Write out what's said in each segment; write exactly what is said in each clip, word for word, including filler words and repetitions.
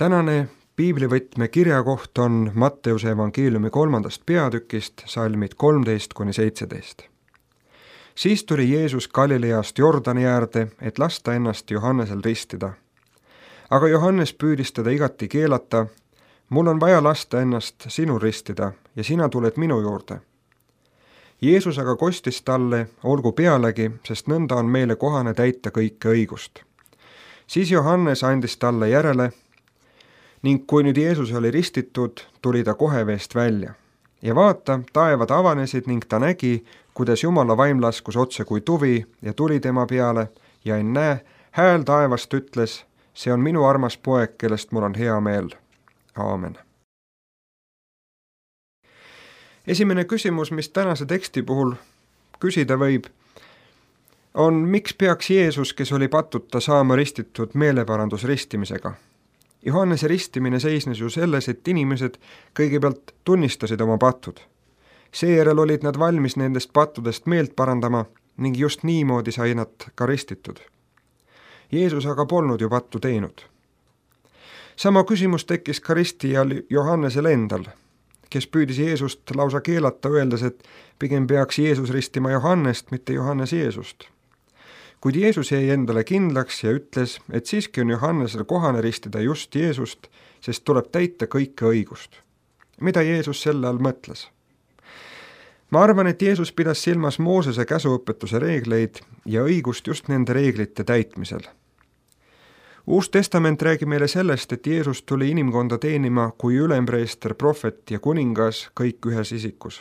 Tänane piiblivõtme kirjakoht on Matteuse evangeeliumi kolmandast peatükist, salmid kolmteist kuni seitseteist. Siis tuli Jeesus Galileast Jordani äärde, et lasta ennast Johannesel ristida. Aga Johannes püüdis teda igati keelata, mul on vaja lasta ennast sinul ristida ja sina tuled minu juurde. Jeesus aga kostis talle, olgu pealegi, sest nõnda on meile kohane täita kõike õigust. Siis Johannes andis talle järele, ning kui nüüd Jeesus oli ristitud, tuli ta kohe veest välja. Ja vaata, taevad avanesid ning ta nägi, kuidas Jumala vaim laskus otse kui tuvi ja tuli tema peale ja ennäe, hääl taevast ütles, see on minu armas poeg, kellest mul on hea meel. Aamen. Esimene küsimus, mis tänase teksti puhul küsida võib, on, miks peaks Jeesus, kes oli patuta, saama ristitud meeleparandusristimisega? Johannese ristimine seisnes ju selles, et inimesed kõigepealt tunnistasid oma patud. Seejärel olid nad valmis nendest pattudest meelt parandama ning just niimoodi sai nad ka ristitud. Jeesus aga polnud ju pattu teinud. Sama küsimus tekkis ka ristijal Johannesel endal, kes püüdis Jeesust lausa keelata, öeldes, et pigem peaks Jeesus ristima Johannest, mitte Johannes Jeesust. Kuid Jeesus jäi endale kindlaks ja ütles, et siiski on Johannesel kohane ristida just Jeesust, sest tuleb täita kõike õigust. Mida Jeesus selle all mõtles? Ma arvan, et Jeesus pidas silmas Moosese käsuõpetuse reegleid ja õigust just nende reeglite täitmisel. Uus testament räägib meile sellest, et Jeesus tuli inimkonda teenima kui ülempreester, prohvet ja kuningas kõik ühes isikus.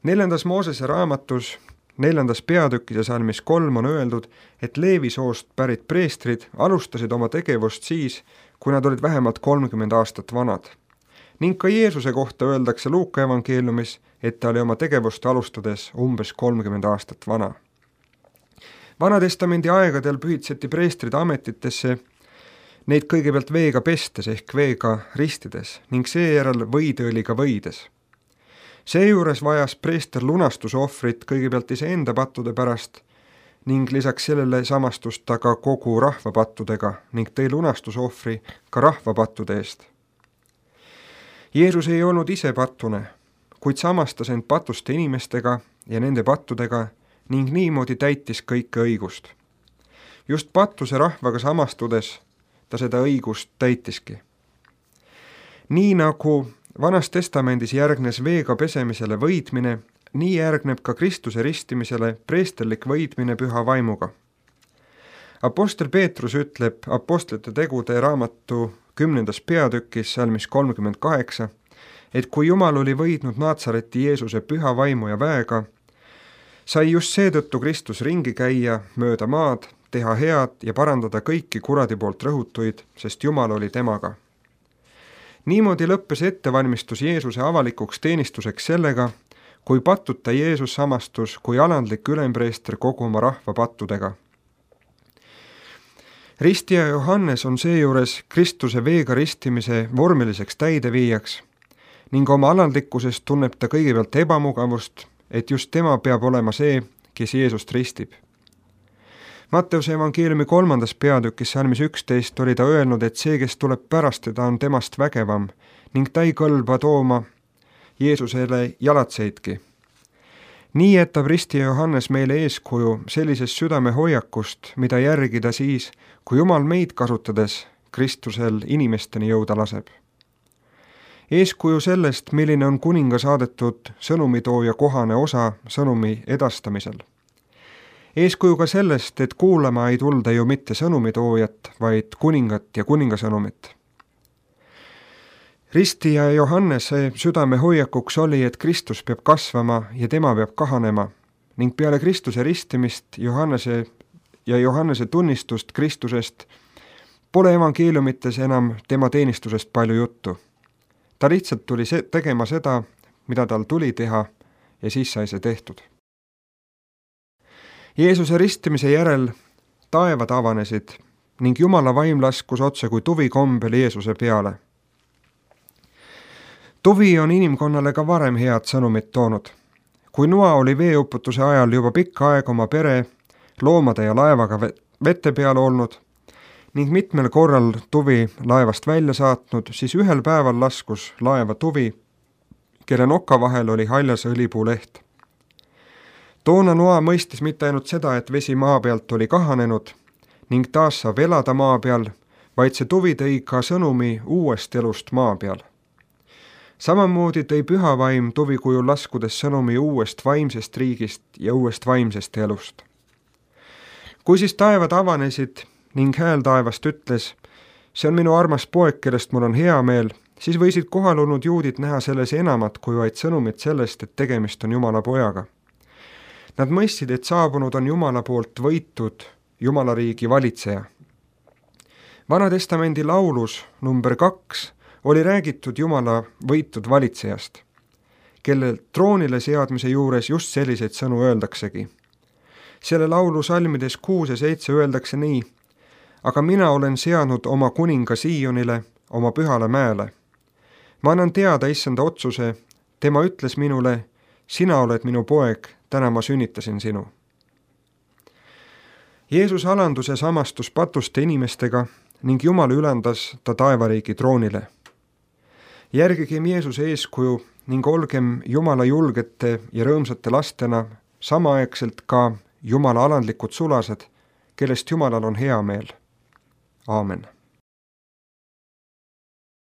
Neljandas Moosese raamatus Neljandas peatükis ja salmis kolm on öeldud, et Leevi soost pärit preestrid alustasid oma tegevust siis, kui nad olid vähemalt kolmkümmend aastat vanad. Ning ka Jeesuse kohta öeldakse Luuka evangeeliumis, et ta oli oma tegevust alustades umbes kolmkümmend aastat vana. Vanatestamendi aegadel pühitseti preestrid ametitesse neid kõigepealt veega pestes ehk veega ristides ning seejärel võideõliga võides. Seejuures vajas preester lunastusohvrit kõigepealt iseenda pattude pärast ning lisaks sellele samastust ta ka kogu rahva pattudega ning tõi lunastusohvri ka rahva pattude eest. Jeesus ei olnud ise pattune, kuid samastas end patuste inimestega ja nende pattudega ning niimoodi täitis kõike õigust. Just pattuse rahvaga samastudes ta seda õigust täitiski. Nii nagu Vanas testamendis järgnes veega pesemisele võidmine, nii järgneb ka Kristuse ristimisele preesterlik võidmine püha vaimuga. Apostel Peetrus ütleb apostlite tegude raamatu kümnendas peatükis salmis kolmkümmend kaheksa, et kui Jumal oli võidnud Naatsareti Jeesuse püha vaimu ja väega, sai just seetõttu Kristus ringi käia mööda maad, teha head ja parandada kõiki kuradi poolt rõhutuid, sest Jumal oli temaga. Niimoodi lõppes ettevalmistus Jeesuse avalikuks teenistuseks sellega, kui pattuta Jeesus samastus kui alandlik ülempreester kogu oma rahva pattudega. Ristija Johannes on seejuures Kristuse veega ristimise vormiliseks täideviijaks ning oma alandlikkusest tunneb ta kõigepealt ebamugavust, et just tema peab olema see, kes Jeesust ristib. Matteuse evangeeliumi kolmandas peatükis salmis üksteist oli ta öelnud, et see, kes tuleb pärast teda, on temast vägevam ning ta ei kõlba tooma Jeesusele jalatseidki. Nii jätab ristija Johannes meile eeskuju sellisest südame hoiakust, mida järgida siis, kui Jumal meid kasutades Kristusel inimesteni jõuda laseb. Eeskuju sellest, milline on kuninga saadetud sõnumitooja kohane osa sõnumi edastamisel. Eeskuju ka sellest, et kuulama ei tulda ju mitte sõnumitoojat, vaid kuningat ja kuningasõnumit. Ristija Johannese südame hoiakuks oli, et Kristus peab kasvama ja tema peab kahanema ning peale Kristuse ristimist Johannese ja Johannese tunnistust Kristusest pole evangeeliumites enam tema teenistusest palju juttu. Ta lihtsalt tuli se- tegema seda, mida tal tuli teha ja siis sai see tehtud. Jeesuse ristimise järel taevad avanesid ning Jumala vaim laskus otse kui tuvi kombel Jeesuse peale. Tuvi on inimkonnale ka varem head sõnumit toonud. Kui Noa oli veeuputuse ajal juba pikka aega oma pere, loomade ja laevaga vette peal olnud, ning mitmel korral tuvi laevast välja saatnud, siis ühel päeval laskus laeva tuvi, kelle noka vahel oli haljas õlipuuleht. Toona Noa mõistis mitte ainult seda, et vesi maa pealt oli kahanenud ning taas saab elada maa peal, vaid see tuvi tõi ka sõnumi uuest elust maa peal. Samamoodi tõi püha vaim tuvi kujul laskudes sõnumi uuest vaimsest riigist ja uuest vaimsest elust. Kui siis taevad avanesid ning hääl taevast ütles, see on minu armas poeg, kellest mul on hea meel, siis võisid kohal olnud juudid näha selles enamat kui vaid sõnumit sellest, et tegemist on Jumala pojaga. Nad mõistsid, et saabunud on Jumala poolt võitud Jumala riigi valitseja. Vana testamendi laulus number kaks oli räägitud Jumala võitud valitsejast, kelle troonile seadmise juures just selliseid sõnu öeldaksegi. Selle laulu salmides kuus ja seitse öeldakse nii: aga mina olen seadnud oma kuninga Siionile, oma pühale mäele. Ma annan teada issanda otsuse, tema ütles minule, sina oled minu poeg, täna ma sünnitasin sinu. Jeesus alandus ja samastus patuste inimestega ning Jumal ülendas ta taevariigi troonile. Järgigem Jeesuse eeskuju ning olgem Jumala julgete ja rõõmsate lastena, samaaegselt ka Jumala alandlikud sulased, kellest Jumalal on hea meel. Aamen.